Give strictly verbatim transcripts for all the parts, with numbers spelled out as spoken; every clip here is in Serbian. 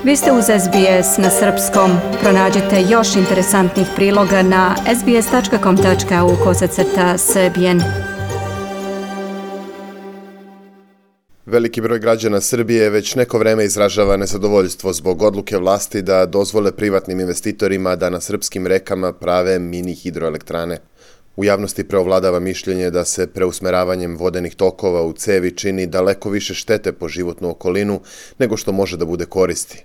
Vi ste uz S B S na srpskom. Pronađite još interesantnih priloga na sbs.com.au kosacrta srbijen. Veliki broj građana Srbije već neko vreme izražava nezadovoljstvo zbog odluke vlasti da dozvole privatnim investitorima da na srpskim rekama prave mini hidroelektrane. U javnosti preovladava mišljenje da se preusmeravanjem vodenih tokova u cevi čini daleko više štete po životnu okolinu nego što može da bude koristi.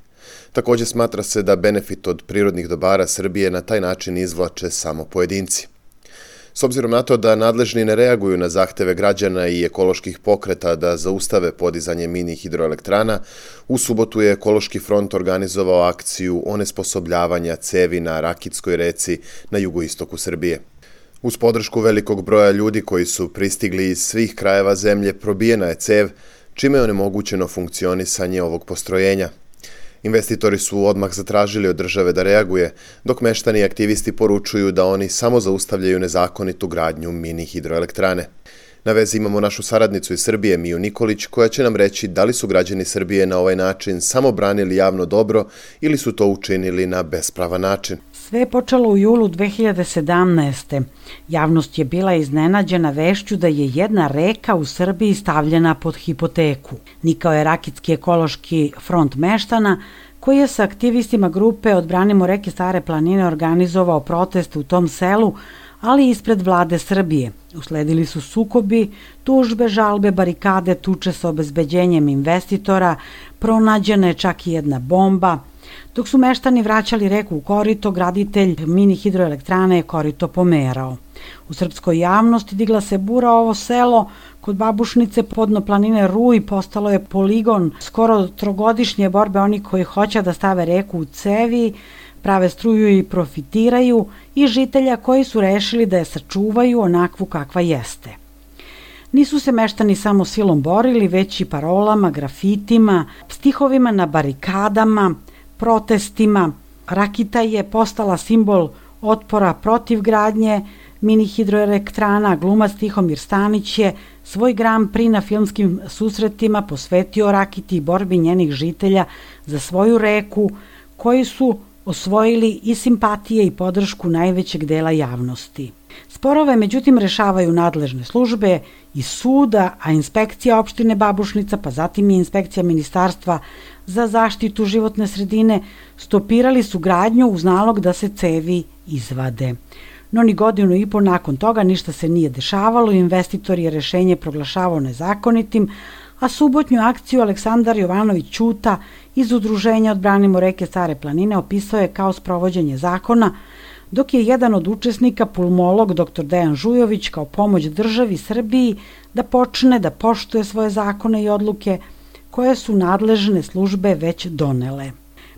Također smatra se da benefit od prirodnih dobara Srbije na taj način izvlače samo pojedinci. S obzirom na to da nadležni ne reaguju na zahteve građana i ekoloških pokreta da zaustave podizanje mini hidroelektrana, u subotu je Ekološki front organizovao akciju onesposobljavanja cevi na Rakitskoj reci na jugoistoku Srbije. Uz podršku velikog broja ljudi koji su pristigli iz svih krajeva zemlje, probijena je cev, čime je onemogućeno funkcionisanje ovog postrojenja. Investitori su odmah zatražili od države da reaguje, dok meštani i aktivisti poručuju da oni samo zaustavljaju nezakonitu gradnju mini hidroelektrane. Na vezi imamo našu saradnicu iz Srbije, Miju Nikolić, koja će nam reći da li su građani Srbije na ovaj način samo branili javno dobro ili su to učinili na bespravan način. Sve je počelo u julu dve hiljade sedamnaeste. Javnost je bila iznenađena vešću da je jedna reka u Srbiji stavljena pod hipoteku. Nikao je Rakitski ekološki front meštana, koji je sa aktivistima grupe Odbranimo reke Stare planine organizovao proteste u tom selu, ali ispred vlade Srbije. Usledili su sukobi, tužbe, žalbe, barikade, tuče sa obezbeđenjem investitora, pronađena je čak i jedna bomba. Dok su meštani vraćali reku u korito, graditelj mini hidroelektrane je korito pomerao. U srpskoj javnosti digla se bura, ovo selo kod Babušnice podno planine Ruj postalo je poligon skoro trogodišnje borbe onih koji hoće da stave reku u cevi, prave struju i profitiraju, i žitelja koji su rešili da je sačuvaju onakvu kakva jeste. Nisu se meštani samo silom borili, već i parolama, grafitima, stihovima na barikadama, protestima. Rakita je postala simbol otpora protiv gradnje mini hidroelektrana. Glumac Tihomir Stanić je svoj Grand Prix na filmskim susretima posvetio Rakiti i borbi njenih žitelja za svoju reku, koji su osvojili i simpatije i podršku najvećeg dela javnosti. Sporove, međutim, rešavaju nadležne službe i suda, a inspekcija opštine Babušnica, pa zatim i inspekcija Ministarstva za zaštitu životne sredine stopirali su gradnju uz nalog da se cevi izvade. No ni godinu i po nakon toga ništa se nije dešavalo, investitor je rešenje proglašavao nezakonitim, a subotnju akciju Aleksandar Jovanović Ćuta iz udruženja Odbranimo reke Stare planine opisao je kao sprovođenje zakona, dok je jedan od učesnika, pulmolog doktor Dejan Žujović, kao pomoć državi Srbiji da počne da poštuje svoje zakone i odluke koje su nadležne službe već donele.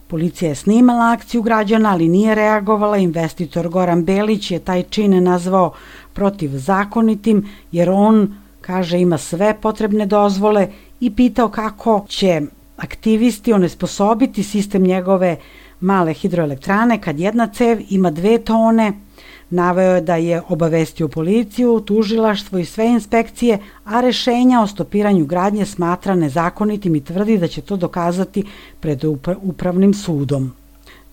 Policija je snimala akciju građana, ali nije reagovala. Investitor Goran Belić je taj čin nazvao protivzakonitim, jer on, kaže, ima sve potrebne dozvole, i pitao kako će aktivisti onesposobiti sistem njegove male hidroelektrane kad jedna cev ima dve tone. Naveo je da je obavestio policiju, tužilaštvo i sve inspekcije, a rešenja o stopiranju gradnje smatra nezakonitim i tvrdi da će to dokazati pred upravnim sudom.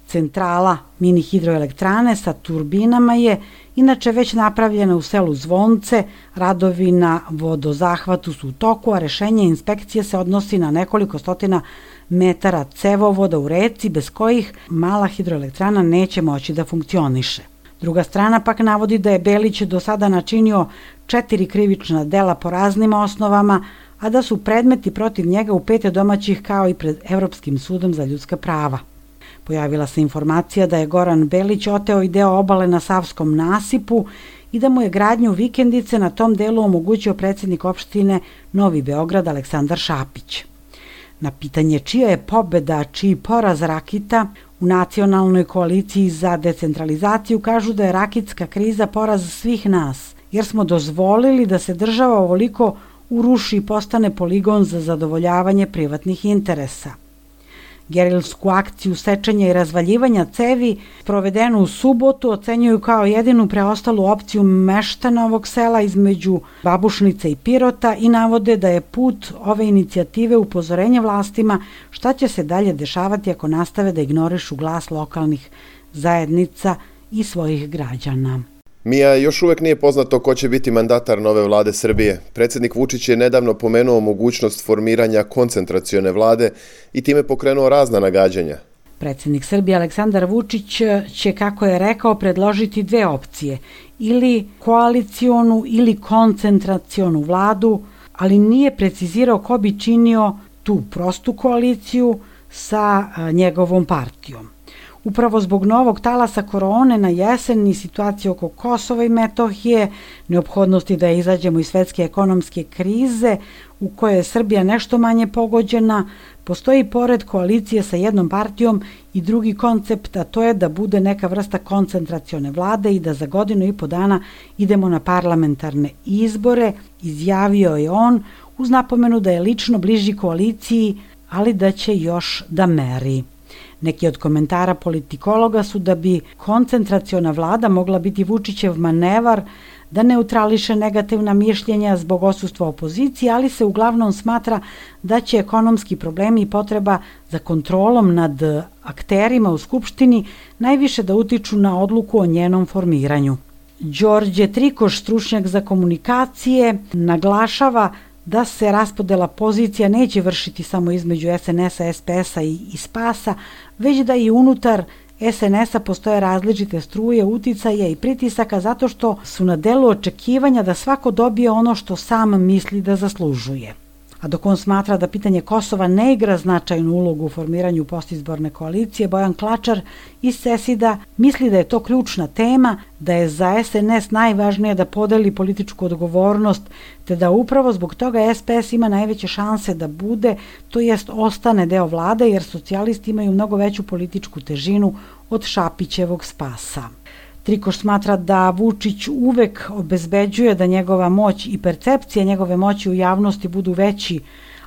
Centrala mini hidroelektrane sa turbinama je inače već napravljena u selu Zvonce, radovi na vodozahvatu su u toku, a rešenje inspekcije se odnosi na nekoliko stotina metara cevovoda u reci, bez kojih mala hidroelektrana neće moći da funkcioniše. Druga strana pak navodi da je Belić do sada načinio četiri krivična dela po raznim osnovama, a da su predmeti protiv njega u pet domaćih kao i pred Evropskim sudom za ljudska prava. Pojavila se informacija da je Goran Belić oteo i deo obale na Savskom nasipu i da mu je gradnju vikendice na tom delu omogućio predsjednik opštine Novi Beograd Aleksandar Šapić. Na pitanje čija je pobeda, čiji poraz Rakita, u nacionalnoj koaliciji za decentralizaciju kažu da je rakitska kriza poraz svih nas, jer smo dozvolili da se država ovoliko uruši i postane poligon za zadovoljavanje privatnih interesa. Gerilsku akciju sečenja i razvaljivanja cevi, provedenu u subotu, ocenjuju kao jedinu preostalu opciju meštana ovog sela između Babušnice i Pirota i navode da je put ove inicijative upozorenje vlastima šta će se dalje dešavati ako nastave da ignorišu glas lokalnih zajednica i svojih građana. Mija, još uvek nije poznato ko će biti mandatar nove vlade Srbije. Predsjednik Vučić je nedavno pomenuo mogućnost formiranja koncentracione vlade i time pokrenuo razna nagađanja. Predsjednik Srbije Aleksandar Vučić će, kako je rekao, predložiti dve opcije, ili koalicionu ili koncentracionu vladu, ali nije precizirao ko bi činio tu prostu koaliciju sa njegovom partijom. Upravo zbog novog talasa korone na jesen i situacije oko Kosova i Metohije, neophodnosti da izađemo iz svetske ekonomske krize u kojoj je Srbija nešto manje pogođena, postoji pored koalicije sa jednom partijom i drugi koncept, a to je da bude neka vrsta koncentracione vlade i da za godinu i po dana idemo na parlamentarne izbore, izjavio je on, uz napomenu da je lično bliži koaliciji, ali da će još da meri. Neki od komentara politikologa su da bi koncentraciona vlada mogla biti Vučićev manevar da neutrališe negativna mišljenja zbog odsustva opozicije, ali se uglavnom smatra da će ekonomski problemi i potreba za kontrolom nad akterima u Skupštini najviše da utiču na odluku o njenom formiranju. Đorđe Trikoš, stručnjak za komunikacije, naglašava da se raspodela pozicija neće vršiti samo između es en es a, es pe es a i, i spasa, već da i unutar es en es a postoje različite struje, uticaja i pritisaka zato što su na delu očekivanja da svako dobije ono što sam misli da zaslužuje. A dok on smatra da pitanje Kosova ne igra značajnu ulogu u formiranju postizborne koalicije, Bojan Klačar iz Sesida misli da je to ključna tema, da je za es en es najvažnije da podeli političku odgovornost, te da upravo zbog toga es pe es ima najveće šanse da bude, to jest ostane deo vlade, jer socijalisti imaju mnogo veću političku težinu od Šapićevog spasa. Trikoš smatra da Vučić uvek obezbeđuje da njegova moć i percepcija njegove moći u javnosti budu veći,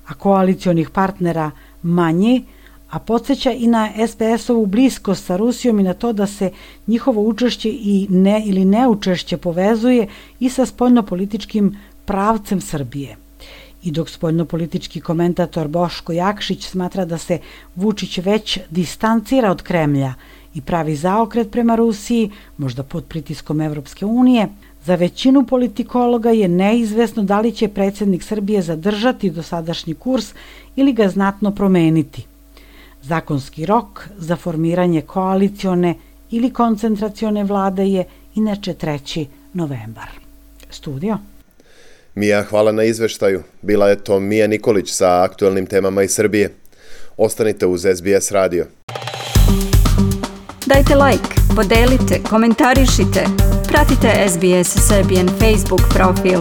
a koalicionih partnera manji, a podsjeća i na es pe es-ovu bliskost sa Rusijom i na to da se njihovo učešće i ne ili neučešće povezuje i sa spoljnopolitičkim pravcem Srbije. I dok spoljnopolitički komentator Boško Jakšić smatra da se Vučić već distancira od Kremlja i pravi zaokret prema Rusiji, možda pod pritiskom Evropske unije, za većinu politikologa je neizvesno da li će predsjednik Srbije zadržati dosadašnji kurs ili ga znatno promeniti. Zakonski rok za formiranje koalicione ili koncentracione vlade je inače treći novembar. Studio. Mija, hvala na izveštaju. Bila je to Mija Nikolić sa aktuelnim temama iz Srbije. Ostanite uz es be es radio. Dajte like, podelite, komentarišite, pratite es be es Serbian Facebook profil.